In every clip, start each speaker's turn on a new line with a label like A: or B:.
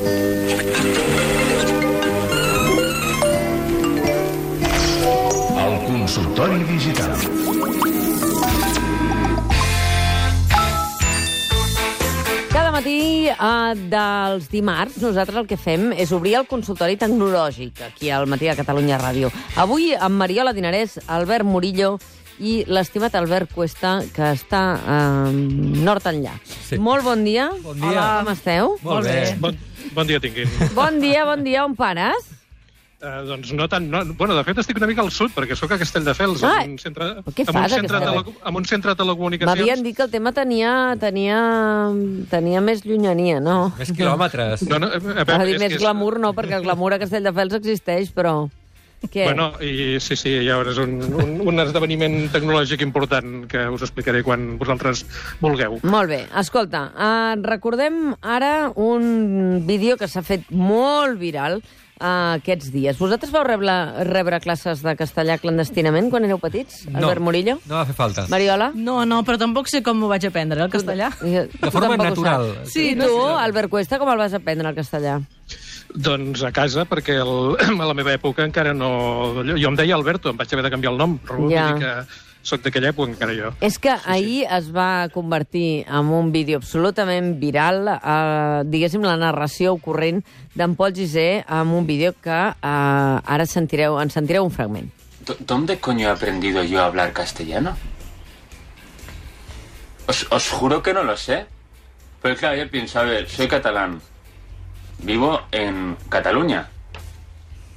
A: El consultori digital.
B: Cada matí dels dimarts nosaltres el que fem és obrir el consultori tecnològic aquí al Matí de Catalunya Ràdio. Avui amb Mariola Dinarès, Albert Murillo i l'estimat Albert Cuesta, que està nord enllà. Sí. Molt bon dia.
C: Bon dia.
B: Hola, com esteu?
C: Molt bé.
D: Bon dia, tinguin.
B: Bon dia. On pares?
D: Doncs no tant... No. Bueno, de fet, estic una mica al sud, perquè sóc a Castelldefels,
B: Ah,
D: amb un centre,
B: què fas,
D: amb un centre de telecomunicacions.
B: M'havien dit que el tema tenia més llunyania, no?
C: Més quilòmetres.
D: No,
B: Va dir més glamour, no, perquè el glamour a Castelldefels existeix, però... Què?
D: Bueno, i sí, llavors és un esdeveniment tecnològic important que us explicaré quan vosaltres vulgueu.
B: Molt bé. Escolta, recordem ara un vídeo que s'ha fet molt viral aquests dies. Vosaltres vau rebre classes de castellà clandestinament quan éreu petits, Albert Murillo?
C: No va fer falta.
B: Mariola?
E: No, però tampoc sé com m'ho vaig aprendre, el castellà.
C: De forma natural.
B: Sí, tu, Albert Cuesta, com el vas aprendre, el castellà?
D: Doncs a casa, perquè a la meva època encara no... Jo em deia Alberto, em vaig haver de canviar el nom, però vull dir que soc d'aquella època encara jo.
B: És que ahir es va convertir en un vídeo absolutament viral, diguéssim, la narració ocorrent d'en Pol Gissé, amb un vídeo que ara en sentireu un fragment.
F: ¿Dónde coño he aprendido yo a hablar castellano? Os juro que no lo sé. Pero claro, yo pienso, a ver, soy catalán. Vivo en Cataluña.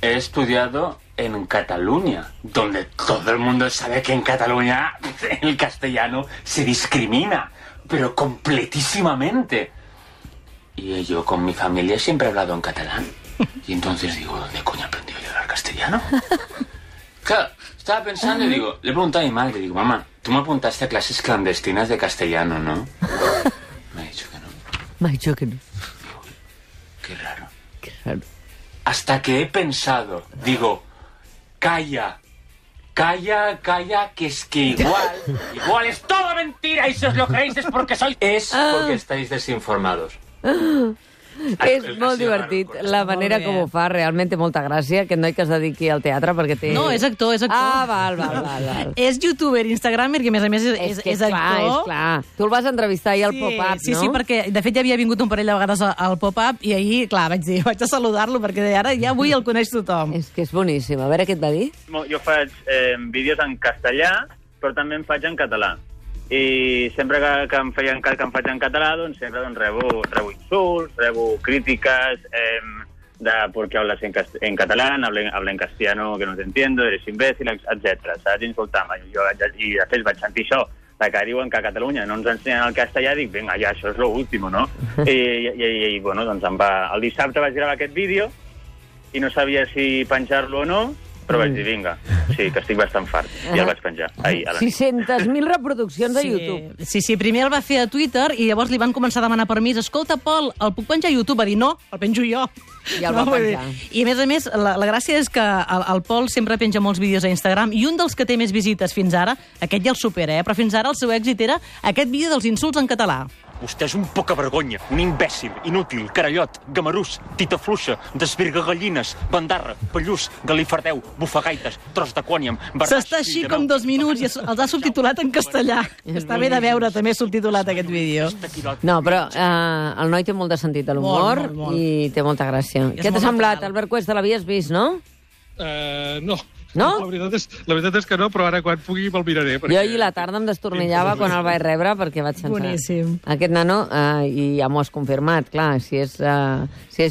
F: He estudiado en Cataluña, donde todo el mundo sabe que en Cataluña el castellano se discrimina, pero completísimamente. Y yo con mi familia siempre he hablado en catalán. Y entonces digo, ¿dónde coño he aprendido yo a hablar castellano? Claro, estaba pensando y digo, le pregunté a mi madre, digo, mamá, tú me apuntaste a clases clandestinas de castellano, ¿no? Me ha dicho que no.
B: Me ha dicho que no.
F: Qué raro.
B: Qué raro.
F: Hasta que he pensado, digo, calla, que es que igual es todo mentira y si os lo creéis es porque porque estáis desinformados.
B: És molt divertit la manera com ho fa, realment té molta gràcia, aquest noi que es dediqui al teatre perquè té...
E: No, és actor.
B: Ah, val.
E: És youtuber, instagramer, que a més és actor.
B: És clar. Tu el vas entrevistar ahir al Pop-Up, no?
E: Sí, perquè de fet ja havia vingut un parell de vegades al Pop-Up i ahir, clar, vaig a saludar-lo perquè ara ja avui el coneix tothom.
B: És que és boníssim. A veure què et va dir.
G: Jo faig vídeos en castellà, però també en faig en català. I sempre que em faig en català, doncs sempre rebo insults, rebo crítiques de por qué hablas en catalán, hablo en castellano que no te entiendo, eres imbécil, etc. Saps? Insultar-me. I de fet vaig sentir això, que diuen que a Catalunya no ens ensenyen el castellà, dic, vinga, ja, això és l'últim, no? I bueno, doncs el dissabte vaig gravar aquest vídeo i no sabia si penjar-lo o no, però vaig dir, vinga, sí, que estic bastant fart. I el vaig penjar ahir a la nit.
B: 600.000 reproduccions a YouTube.
E: Sí, primer el va fer a Twitter i llavors li van començar a demanar permís. Escolta, Pol, el puc penjar a YouTube? Va dir, no, el penjo jo.
B: I el va penjar.
E: I a més, la gràcia és que el Pol sempre penja molts vídeos a Instagram i un dels que té més visites fins ara, aquest ja el supera, però fins ara el seu èxit era aquest vídeo dels insults en català.
H: Vostè és un poca vergonya, un imbècil, inútil, carallot, gamarús, tita fluixa, desvirga gallines, bandarra, pallús, galifardeu, bufagaites, tros de quòniam...
E: S'està així com 2 minuts i els ha subtitulat en castellà. Està bé de veure també subtitulat aquest vídeo.
B: No, però el noi té molt de sentit de l'humor i té molta gràcia. Què t'ha semblat, Albert Cuesta? L'havies vist, no?
D: No.
B: No?
D: La veritat és que no, però ara quan pugui me'l miraré.
B: Jo ahir la tarda em destornillava quan el vaig rebre perquè vaig pensar...
E: Boníssim.
B: Aquest nano, i ja m'ho has confirmat, clar, si és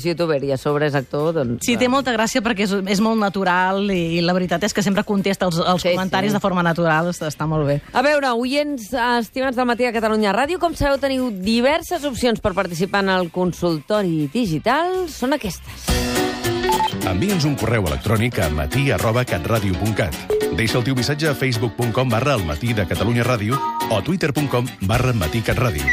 B: youtuber i a sobre és actor, doncs...
E: Sí, té molta gràcia perquè és molt natural i la veritat és que sempre contesta els comentaris de forma natural, està molt bé.
B: A veure, oients estimats del Matí de Catalunya Ràdio, com sabeu, teniu diverses opcions per participar en el consultori digital. Són aquestes.
A: Envia'ns un correu electrònic a matí@catradio.cat. Deixa el teu missatge a facebook.com/elmatí de Catalunya Ràdio o twitter.com/matí-catradio.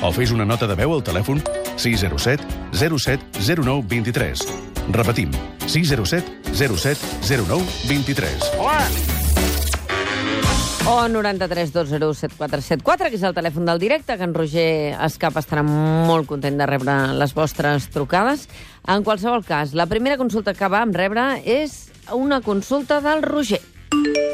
A: O fes una nota de veu al telèfon 607 07 09 23. Repetim, 607 07 09 23.
H: Hola!
B: O 93 201 7474, que és el telèfon del directe, que en Roger Escap estarà molt content de rebre les vostres trucades. En qualsevol cas, la primera consulta que vam rebre és una consulta del Roger.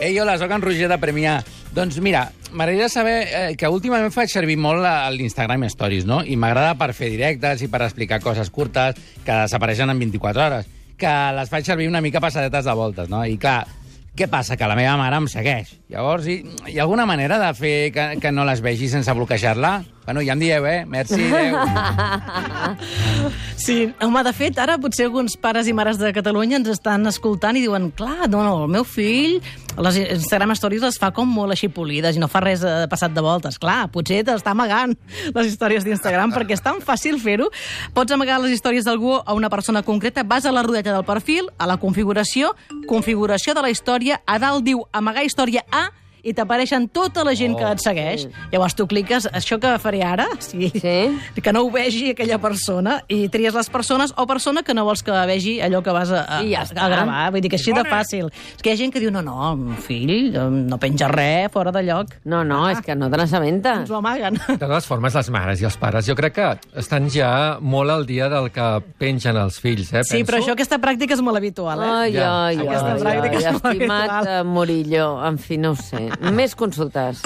I: Ei, hola, soc en Roger de Premià. Doncs mira, m'agradaria saber que últimament faig servir molt l'Instagram Stories, no? I m'agrada per fer directes i per explicar coses curtes que desapareixen en 24 hores, que les faig servir una mica passadetes de voltes, no? I clar, què passa? Que la meva mare em segueix. Llavors, hi ha alguna manera de fer que no les vegi sense bloquejar-la? Bueno, ja em dieu, Merci, adéu.
E: Sí, home, de fet, ara potser alguns pares i mares de Catalunya ens estan escoltant i diuen, clar, no, el meu fill, les Instagram Stories les fa com molt així polides i no fa res passat de voltes. Clar, potser t'està amagant les històries d'Instagram perquè és tan fàcil fer-ho. Pots amagar les històries d'algú a una persona concreta, vas a la rodeta del perfil, a la configuració de la història, a dalt diu amagar història A, i t'apareixen tota la gent que et segueix. Llavors tu cliques, això que faré ara, que no ho vegi aquella persona, i tries les persones o persona que no vols que vegi allò que vas a gravar. Vull dir que així de fàcil. És que hi ha gent que diu, no, el fill no penja res fora de lloc.
B: No, és que no te n'assabentes.
E: Ens ho amaguen.
C: De totes formes, les mares i els pares, jo crec que estan ja molt al dia del que pengen els fills,
E: Sí, però això, aquesta pràctica és molt habitual,
B: Estimat Murillo, en fi, no ho sé. Més consultes.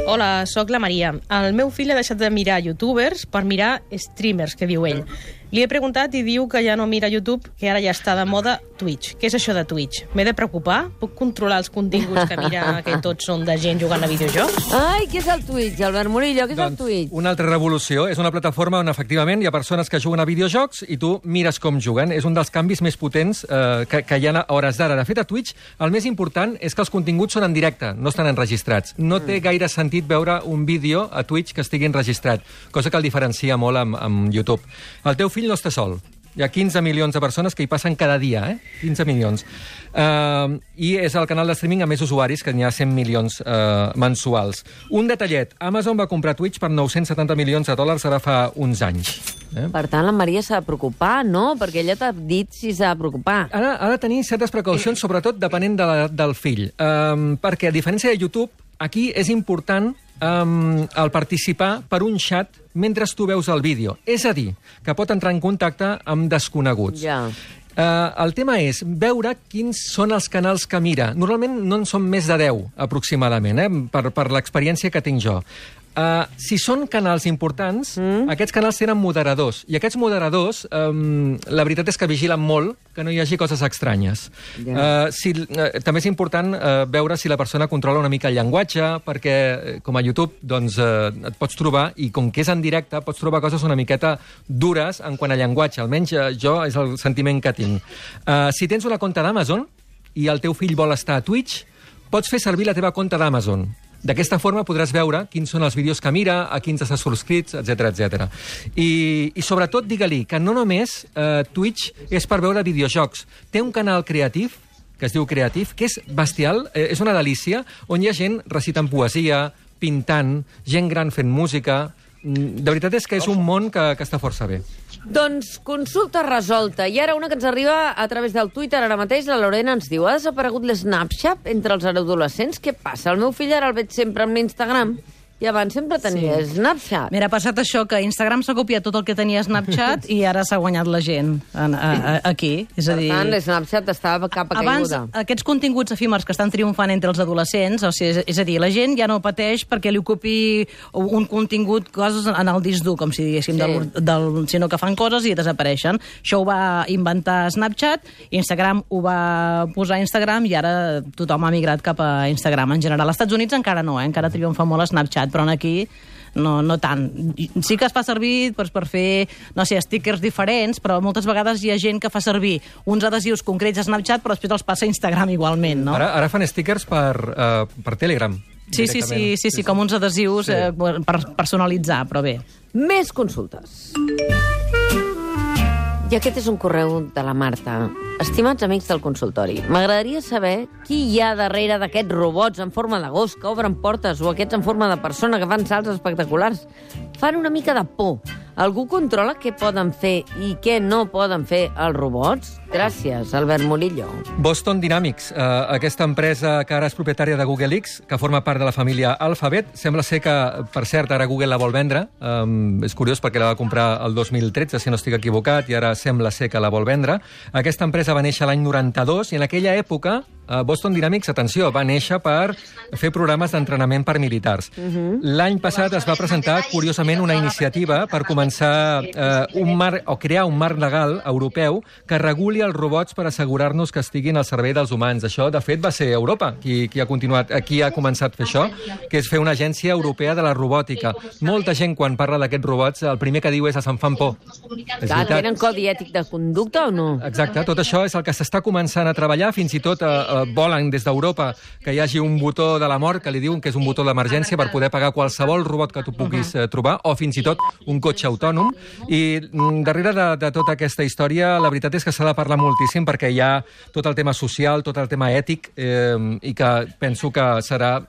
J: Hola, sóc la Maria. El meu fill ha deixat de mirar youtubers per mirar streamers, que diu ell. Li he preguntat i diu que ja no mira YouTube, que ara ja està de moda Twitch. Què és això de Twitch? M'he de preocupar? Puc controlar els continguts que mira, que tots són de gent jugant a videojocs?
B: Ai, què és el Twitch, Albert Murillo? Què és el Twitch?
C: Una altra revolució. És una plataforma on, efectivament, hi ha persones que juguen a videojocs i tu mires com juguen. És un dels canvis més potents que hi ha a hores d'ara. De fet, a Twitch, el més important és que els continguts són en directe, no estan enregistrats. No té gaire sentit veure un vídeo a Twitch que estigui enregistrat, cosa que el diferencia molt amb YouTube. El teu fill no està sol. Hi ha 15 milions de persones que hi passen cada dia, 15 milions. I és el canal de streaming amb més usuaris, que n'hi ha 100 milions mensuals. Un detallet, Amazon va comprar Twitch per 970 milions de dòlars ara fa uns anys.
B: Per tant, la Maria s'ha de preocupar, no? Perquè ella t'ha dit si s'ha de preocupar.
C: Ha de tenir certes precaucions, sobretot depenent del fill. Perquè, a diferència de YouTube, aquí és important el participar per un xat mentre tu veus el vídeo. És a dir, que pot entrar en contacte amb desconeguts. El tema és veure quins són els canals que mira. Normalment no en són més de 10, aproximadament, per l'experiència que tinc jo. Si són canals importants, aquests canals tenen moderadors. I aquests moderadors, la veritat és que vigilen molt que no hi hagi coses estranyes. També és important veure si la persona controla una mica el llenguatge, perquè com a YouTube et pots trobar, i com que és en directe, pots trobar coses una miqueta dures en quant a llenguatge. Almenys jo és el sentiment que tinc. Si tens una compte d'Amazon i el teu fill vol estar a Twitch, pots fer servir la teva compte d'Amazon. D'aquesta forma podràs veure quins són els vídeos que mira, a quins està subscrits, etc. I sobretot, digue-li que no només Twitch és per veure videojocs. Té un canal creatiu, que es diu Creative, que és bestial, és una delícia, on hi ha gent recitant poesia, pintant, gent gran fent música. De veritat és que és un món que està força bé.
B: Doncs consulta resolta. I ara una que ens arriba a través del Twitter ara mateix. La Lorena ens diu: ha desaparegut l'Snapchat entre els adolescents? Què passa? El meu fill ara el veig sempre amb l'Instagram i abans sempre tenia Snapchat.
E: Mira, ha passat això, que Instagram s'ha copiat tot el que tenia Snapchat i ara s'ha guanyat la gent aquí. És a dir,
B: per tant, Snapchat estava capa
E: abans,
B: caiguda.
E: Aquests continguts efímers que estan triomfant entre els adolescents, o sigui, és a dir, la gent ja no pateix perquè li ocupi un contingut, coses en el disc dur, com si diguéssim, sinó que fan coses i desapareixen. Això ho va inventar Snapchat, Instagram ho va posar a Instagram i ara tothom ha migrat cap a Instagram en general. Als Estats Units encara no, encara triomfa molt Snapchat, però aquí no tant. Sí que es fa servir per fer, no sé, stickers diferents, però moltes vegades hi ha gent que fa servir uns adhesius concrets a Snapchat, però després els passa a Instagram igualment, no?
C: Ara fan stickers per Telegram.
E: Sí, com uns adhesius per personalitzar, però bé.
B: Més consultes. I aquest és un correu de la Marta. Estimats amics del consultori, m'agradaria saber qui hi ha darrere d'aquests robots en forma de gos que obren portes o aquests en forma de persona que fan salts espectaculars. fan una mica de por. Algú controla què poden fer i què no poden fer els robots? Gràcies, Albert Murillo.
C: Boston Dynamics, aquesta empresa que ara és propietària de Google X, que forma part de la família Alphabet, sembla ser que, per cert, ara Google la vol vendre. És curiós perquè la va comprar el 2013, si no estic equivocat, i ara sembla ser que la vol vendre. Aquesta empresa va néixer l'any 92 i en aquella època Boston Dynamics, atenció, va néixer per fer programes d'entrenament per militars. L'any passat es va presentar, curiosament, una iniciativa per començar crear un marc legal europeu que reguli els robots per assegurar-nos que estiguin al servei dels humans. Això, de fet, va ser Europa qui ha començat a fer això, que és fer una agència europea de la robòtica. Molta gent, quan parla d'aquests robots, el primer que diu és se'n fan por.
B: Clar, tenen codi ètic de conducta o no?
C: Exacte, tot això és el que s'està començant a treballar, fins i tot volen des d'Europa que hi hagi un botó de la mort, que li diuen que és un botó d'emergència per poder pagar qualsevol robot que tu puguis trobar, o fins i tot un cotxe autònom. I darrere de tota aquesta història, la veritat és que s'ha de parlar moltíssim, perquè hi ha tot el tema social, tot el tema ètic, i que penso que serà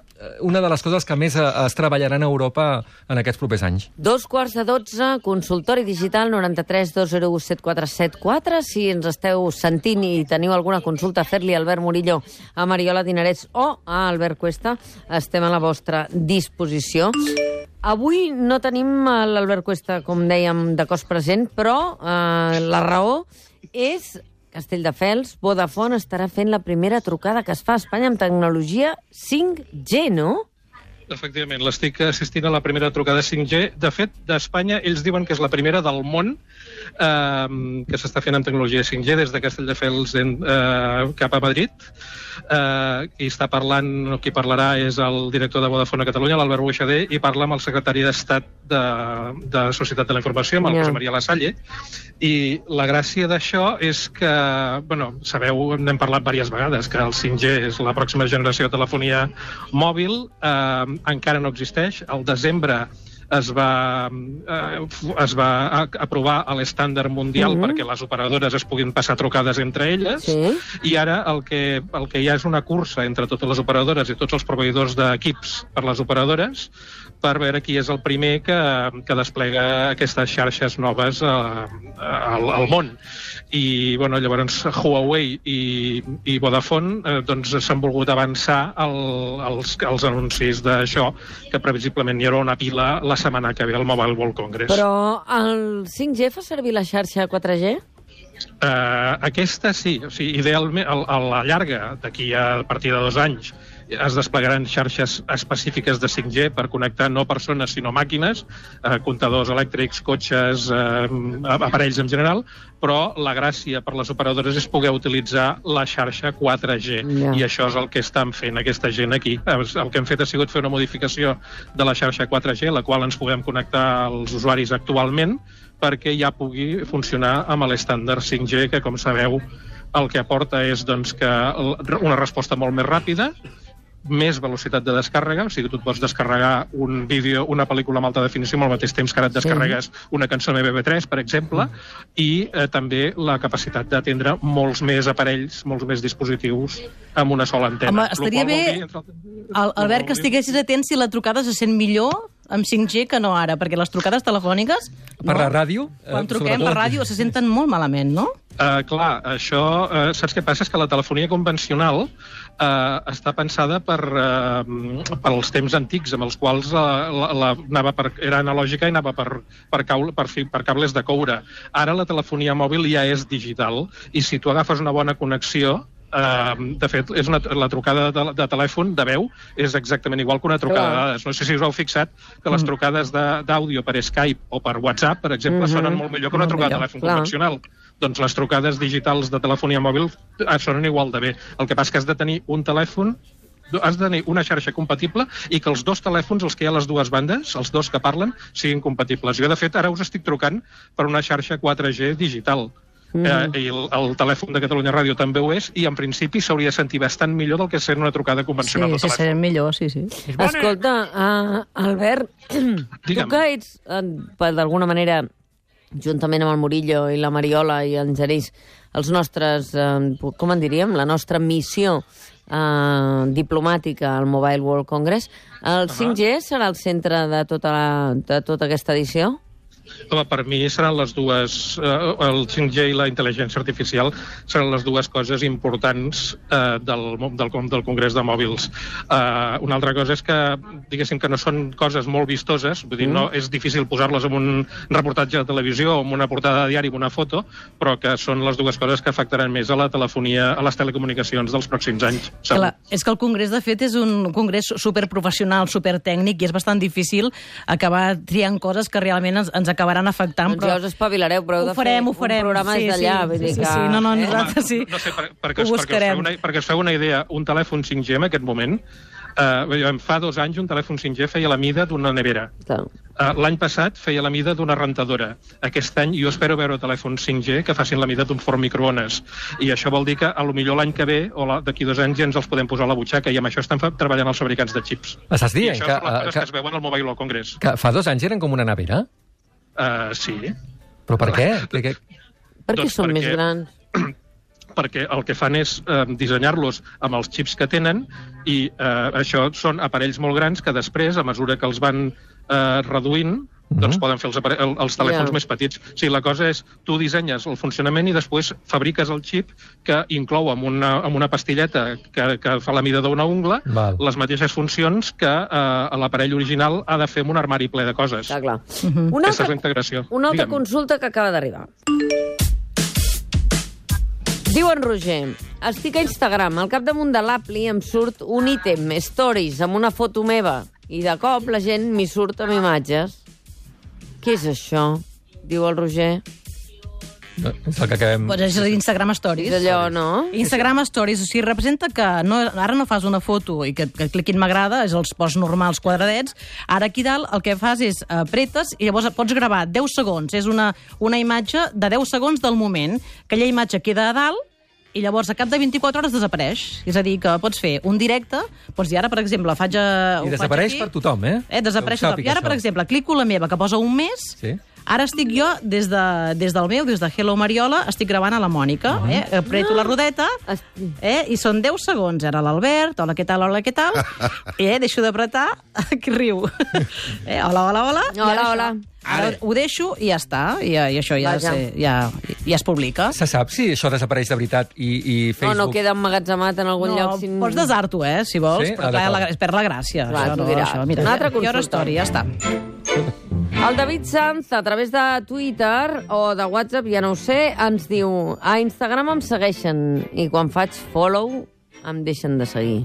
C: una de les coses que més es treballaran a Europa en aquests propers anys.
B: 2:45, consultori digital 93 201 7474. Si ens esteu sentint i teniu alguna consulta, fer-li a Albert Murillo, a Mariola Dinarès o a Albert Cuesta, estem a la vostra disposició. Avui no tenim l'Albert Cuesta, com dèiem, de cos present, però la raó és Castelldefels. Vodafone estarà fent la primera trucada que es fa a Espanya amb tecnologia 5G, no?
D: Efectivament, l'estic assistint a la primera trucada 5G. De fet, d'Espanya, ells diuen que és la primera del món que s'està fent amb tecnologia 5G des de Castelldefels cap a Madrid. Qui parlarà és el director de Vodafone a Catalunya, l'Albert Buixader, i parla amb el secretari d'Estat de Societat de la Informació, amb el José María Lasalle. I la gràcia d'això és que, sabeu, n'hem parlat diverses vegades, que el 5G és la pròxima generació de telefonia mòbil, encara no existeix. Al desembre es va aprovar l'estàndard mundial perquè les operadores es puguin passar trucades entre elles, i ara el que hi ha és una cursa entre totes les operadores i tots els proveïdors d'equips per les operadores per veure qui és el primer que desplega aquestes xarxes noves al món. I llavors Huawei i Vodafone s'han volgut avançar els anuncis d'això, que previsiblement hi haurà una pila la setmana que ve al Mobile World Congress.
B: Però el 5G fa servir la xarxa 4G?
D: Aquesta sí. O sigui, idealment, a la llarga, d'aquí a partir de 2 anys, es desplegaran xarxes específiques de 5G per connectar no persones sinó màquines, comptadors elèctrics, cotxes, aparells en general, però la gràcia per les operadores és poder utilitzar la xarxa 4G, i això és el que estan fent aquesta gent aquí. El que hem fet ha sigut fer una modificació de la xarxa 4G, la qual ens podem connectar als usuaris actualment, perquè ja pugui funcionar amb l'estàndard 5G, que, com sabeu, el que aporta és una resposta molt més ràpida, més velocitat de descàrrega, o sigui, tu et pots descarregar un vídeo, una pel·lícula amb alta definició al mateix temps que ara et descarregues una cançó MP3, per exemple, i també la capacitat d'atendre molts més aparells, molts més dispositius amb una sola antena.
E: Home, estaria bé, Albert, que estiguessis atent si la trucada se sent millor amb 5G que no ara, perquè les trucades telefòniques...
C: Per la ràdio?
E: Quan truquem per ràdio se senten molt malament, no?
D: Clar, això... Saps què passa? És que la telefonia convencional està pensada per als temps antics, amb els quals era analògica i anava per cables de coure. Ara la telefonia mòbil ja és digital, i si tu agafes una bona connexió, de fet, la trucada de telèfon, de veu, és exactament igual que una trucada de dades. No sé si us heu fixat que les trucades d'àudio per Skype o per WhatsApp, per exemple, sonen molt millor que una trucada de telèfon convencional. Doncs les trucades digitals de telefonia mòbil sonen igual de bé. El que passa és que has de tenir un telèfon, has de tenir una xarxa compatible i que els dos telèfons, els que hi ha a les dues bandes, els dos que parlen, siguin compatibles. Jo, de fet, ara us estic trucant per una xarxa 4G digital. I el telèfon de Catalunya Ràdio també ho és, i en principi s'hauria de sentir bastant millor del que sent una trucada convencional de telèfon.
E: Sí, serem millor, sí.
B: Escolta, Albert, tu que ets, d'alguna manera, juntament amb el Murillo i la Mariola i en Genís, els nostres, com en diríem, la nostra missió diplomàtica al Mobile World Congress. El 5G serà el centre de tota aquesta edició?
D: Home, per mi seran les dues, el 5G i la intel·ligència artificial seran les dues coses importants del Congrés de Mòbils. Una altra cosa és que, diguéssim, que no són coses molt vistoses, vull dir, no és difícil posar-les en un reportatge de televisió o en una portada de diari, en una foto, però que són les dues coses que afectaran més a la telefonia, a les telecomunicacions dels pròxims anys.
E: Clar, és que el Congrés, de fet, és un congrés superprofessional, supertècnic, i és bastant difícil acabar triant coses que realment ens acabaran afectant.
B: Doncs ja us espavilareu, però heu de fer un programa des d'allà.
E: Nosaltres sí.
D: No sé, perquè us feu una idea, un telèfon 5G en aquest moment, fa 2 anys un telèfon 5G feia la mida d'una nevera. L'any passat feia la mida d'una rentadora. Aquest any jo espero veure telèfons 5G que facin la mida d'un forn microones. I això vol dir que potser l'any que ve o d'aquí 2 anys ja ens els podem posar a la butxaca, i amb això estan treballant els fabricants de xips.
C: Estàs dient
D: I això són les coses que es veuen al Mobile World Congress.
C: Que fa 2 anys eren com una nevera?
D: Sí.
C: Però per què?
B: Perquè són més grans.
D: Perquè el que fan és dissenyar-los amb els xips que tenen, i això són aparells molt grans que després, a mesura que els van reduint, doncs poden fer els telèfons més petits. O sigui, la cosa és, tu dissenyes el funcionament i després fabriques el xip que inclou amb una pastilleta que fa la mida d'una ungla les mateixes funcions que l'aparell original ha de fer amb un armari ple de coses.
B: Clar.
D: Aquesta és la integració.
B: Una altra consulta que acaba d'arribar. Diu en Roger, estic a Instagram, al capdamunt de l'appli em surt un ítem, stories, amb una foto meva, i de cop la gent m'hi surt amb imatges. Què és això? Diu el Roger.
C: És el que acabem...
E: Pues és l'Instagram Stories.
B: És allò, no?
E: Instagram Stories, o sigui, representa que ara no fas una foto i que cliquin m'agrada, és els posts normals quadradets. Ara aquí dalt el que fas és apretes i llavors pots gravar 10 segons. És una imatge de 10 segons del moment. Aquella imatge queda a dalt i llavors a cap de 24 hores desapareix. És a dir, que pots fer un directe, pots dir ara, per exemple,
C: I desapareix per tothom,
E: desapareix per tothom. I ara, per exemple, clico la meva, que posa un mes, ara estic jo, des del meu, des de Hello Mariola, estic gravant a la Mònica, apreto la rodeta, i són 10 segons. Ara l'Albert, hola, què tal, deixo d'apretar, que riu. Hola.
B: Hola.
E: Ara ho deixo i ja està, i això ja es publica.
C: Se sap si això desapareix de veritat i Facebook...
B: No queda emmagatzemat en algun lloc.
E: No, pots desar-t'ho, si vols, però clar, es perd la gràcia.
B: Una altra consulta.
E: Història, ja està.
B: El David Sanz, a través de Twitter o de WhatsApp, ja no ho sé, ens diu: a Instagram em segueixen i quan faig follow em deixen de seguir.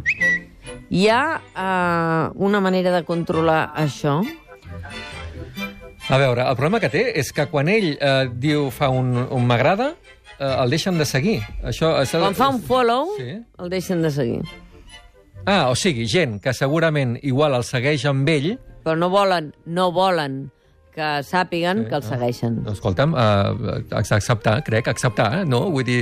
B: Hi ha una manera de controlar això?
C: A veure, el problema que té és que quan ell fa un m'agrada, el deixen de seguir.
B: Quan fa un follow, el deixen de seguir.
C: O sigui, gent que segurament igual el segueix amb ell...
B: Però no volen que sàpiguen que el segueixen.
C: Escolta'm, acceptar, no? Vull dir...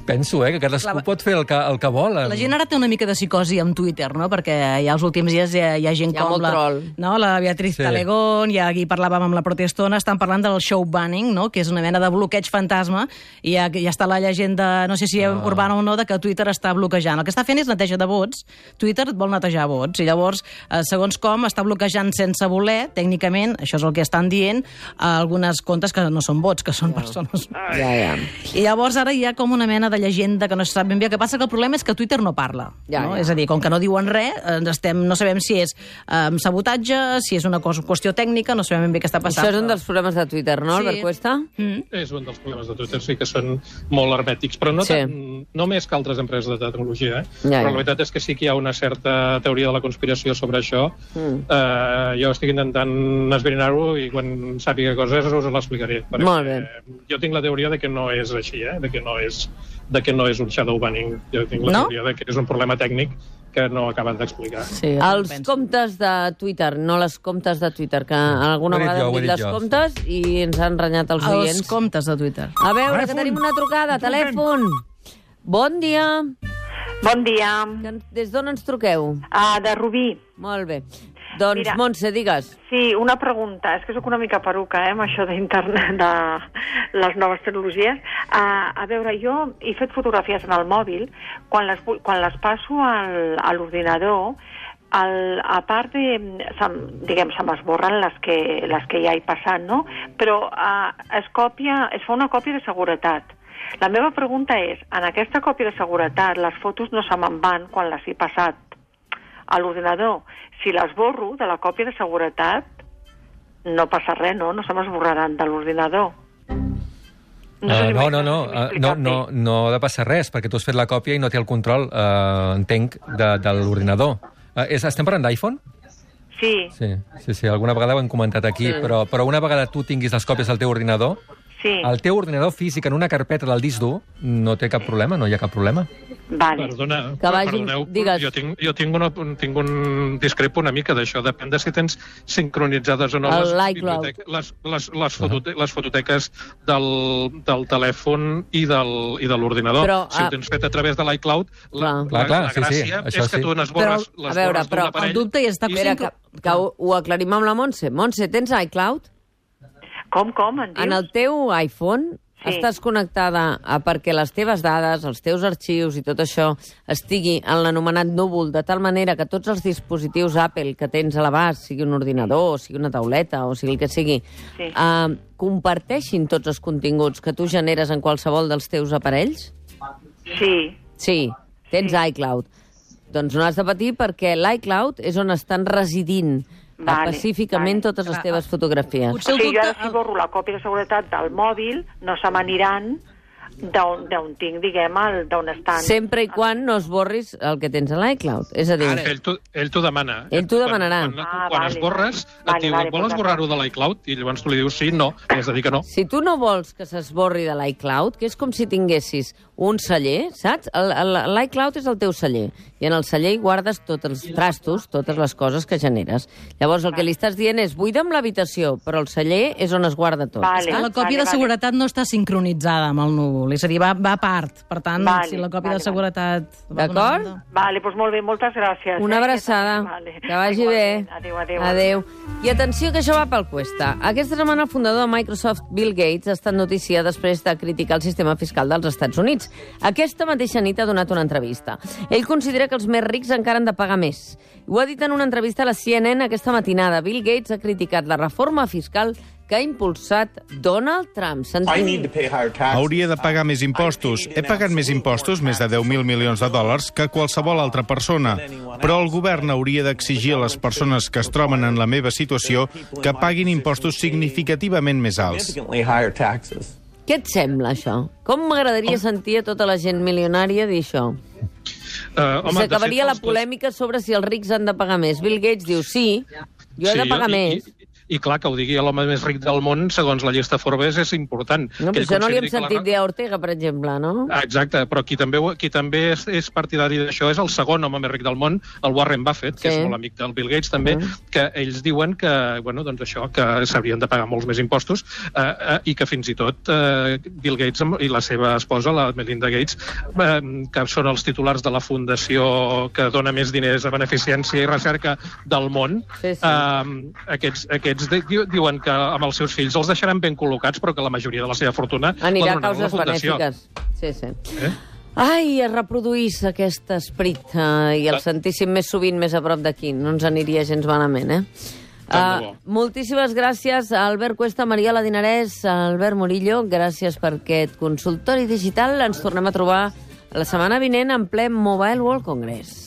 C: Penso, que cadascú pot fer el que vol.
E: La gent ara té una mica de psicosi amb Twitter, no? Perquè ja els últims dies hi ha gent com la Beatriz Talegón, ja aquí parlàvem amb la Protestona, estan parlant del show banning, no? Que és una mena de bloqueig fantasma, i ja està la llegenda, no sé si urbana o no, de que Twitter està bloquejant. El que està fent és neteja de vots. Twitter vol netejar vots, i llavors, segons com, està bloquejant sense voler, tècnicament, això és el que estan dient, algunes comptes que no són vots, que són persones. I llavors ara hi ha com una mena de llegenda que no se sap ben bé. El que passa que el problema és que Twitter no parla. És a dir, com que no diuen res, no sabem si és sabotatge, si és una qüestió tècnica, no sabem ben bé què està passant.
B: Això és un dels problemes de Twitter, no, Albert Cuesta?
D: És un dels problemes de Twitter, sí, que són molt hermètics, però no més que altres empreses de tecnologia. Però la veritat és que sí que hi ha una certa teoria de la conspiració sobre això. Jo estic intentant esbrinar-ho i quan sàpiga coses us l'explicaré.
B: Molt bé.
D: Jo tinc la teoria de que no és així, de que no és un shadow banning. Jo tinc la teoria de que és un problema tècnic que no acaben d'explicar.
B: Els comptes de Twitter, no les comptes de Twitter, que alguna vegada hem dit les comptes i ens han renyat els oients.
E: Els comptes de Twitter.
B: A veure, que tenim una trucada, telèfon. Bon dia.
K: Bon dia.
B: Des d'on ens truqueu?
K: De Rubí.
B: Molt bé. Doncs, Montse, digues.
K: Sí, una pregunta. És que sóc una mica peruca, amb això d'internet, de les noves tecnologies. A veure, jo he fet fotografies en el mòbil, quan les passo a l'ordinador, a part de, diguem, se m'esborren les que ja he passat, no? Però es fa una còpia de seguretat. La meva pregunta és, en aquesta còpia de seguretat, les fotos no se me'n van quan les he passat a l'ordinador. Si les borro de la còpia de seguretat, no passa res, no? No se m'esborraran de l'ordinador.
C: No ha de passar res, perquè tu has fet la còpia i no té el control, entenc, de l'ordinador. Estem parlant d'iPhone?
K: Sí.
C: Sí, alguna vegada ho hem comentat aquí, però una vegada tu tinguis les còpies al teu ordinador, el teu ordinador físic en una carpeta del disc dur no té cap problema, no hi ha cap problema.
K: Vale.
D: Perdoneu, jo tinc un discrepo una mica d'això, depèn de si tens sincronitzades o no les fototeques del telèfon i de l'ordinador. Si ho tens fet a través de l'iCloud, la gràcia és que tu n'esborres les borres d'un aparell.
E: El dubte està...
B: Que ho aclarim amb la Montse. Montse, tens iCloud?
K: Com, en dius?
B: En el teu iPhone estàs connectada perquè les teves dades, els teus arxius i tot això estigui en l'anomenat núvol, de tal manera que tots els dispositius Apple que tens a l'abast, sigui un ordinador, sigui una tauleta, o sigui el que sigui, comparteixin tots els continguts que tu generes en qualsevol dels teus aparells? Sí, tens iCloud. Doncs no has de patir perquè l'iCloud és on estan residint específicament totes les teves fotografies.
K: O sigui, jo ara si borro la còpia de seguretat del mòbil, no se m'aniran d'on tinc, diguem, d'on estan.
B: Sempre i quan no esborris el que tens a l'iCloud. És a dir...
D: Ell t'ho demana.
B: Ell t'ho demanarà.
D: Quan esborres, et diu, vol esborrar-ho de l'iCloud? I llavors tu li dius sí, no, i has de dir que no.
B: Si tu no vols que s'esborri de l'iCloud, que és com si tinguessis un celler, saps? L'iCloud és el teu celler, i en el celler hi guardes tots els trastos, totes les coses que generes. Llavors el que li estàs dient és buida'm l'habitació, però el celler és on es guarda tot.
E: La còpia de seguretat no està sincronitzada amb el núvol, és a dir, va a part. Per tant, si la còpia de seguretat...
B: D'acord?
K: Vale, doncs molt bé, moltes gràcies.
B: Una abraçada. Que vagi bé. Adéu. I atenció, que això va pel cuesta. Aquesta setmana el fundador de Microsoft, Bill Gates, ha estat notícia després de criticar el sistema fiscal dels Estats Units. Aquesta mateixa nit ha donat una entrevista. Ell considera que els més rics encara han de pagar més. Ho ha dit en una entrevista a la CNN aquesta matinada. Bill Gates ha criticat la reforma fiscal que ha impulsat Donald Trump.
L: Hauria de pagar més impostos. He pagat més impostos, més de 10.000 milions de dòlars, que qualsevol altra persona. Però el govern hauria d'exigir a les persones que es troben en la meva situació que paguin impostos significativament més alts.
B: Què et sembla, això? Com m'agradaria sentir a tota la gent milionària dir això? S'acabaria la polèmica sobre si els rics han de pagar més. Bill Gates diu sí, jo he de pagar més.
D: I clar, que ho digui l'home més ric del món, segons la llista Forbes, és important.
B: No, però això no li hem sentit dir a Ortega, per exemple, no?
D: Exacte, però qui també és partidari d'això és el segon home més ric del món, el Warren Buffett, que és molt amic del Bill Gates també, que ells diuen que, bueno, doncs això, que s'haurien de pagar molts més impostos i que fins i tot Bill Gates i la seva esposa, la Melinda Gates, que són els titulars de la fundació que dona més diners a beneficència i recerca del món, aquests diuen que amb els seus fills els deixaran ben col·locats, però que la majoria de la seva fortuna
B: anirà a causes benèfiques. Sí. Ai, es reproduís aquest esperit i el sentíssim més sovint més a prop d'aquí. No ens aniria gens malament, moltíssimes gràcies a Albert Cuesta, Mariola Dinarès, Albert Murillo. Gràcies per aquest consultori digital. Ens tornem a trobar la setmana vinent en ple Mobile World Congress.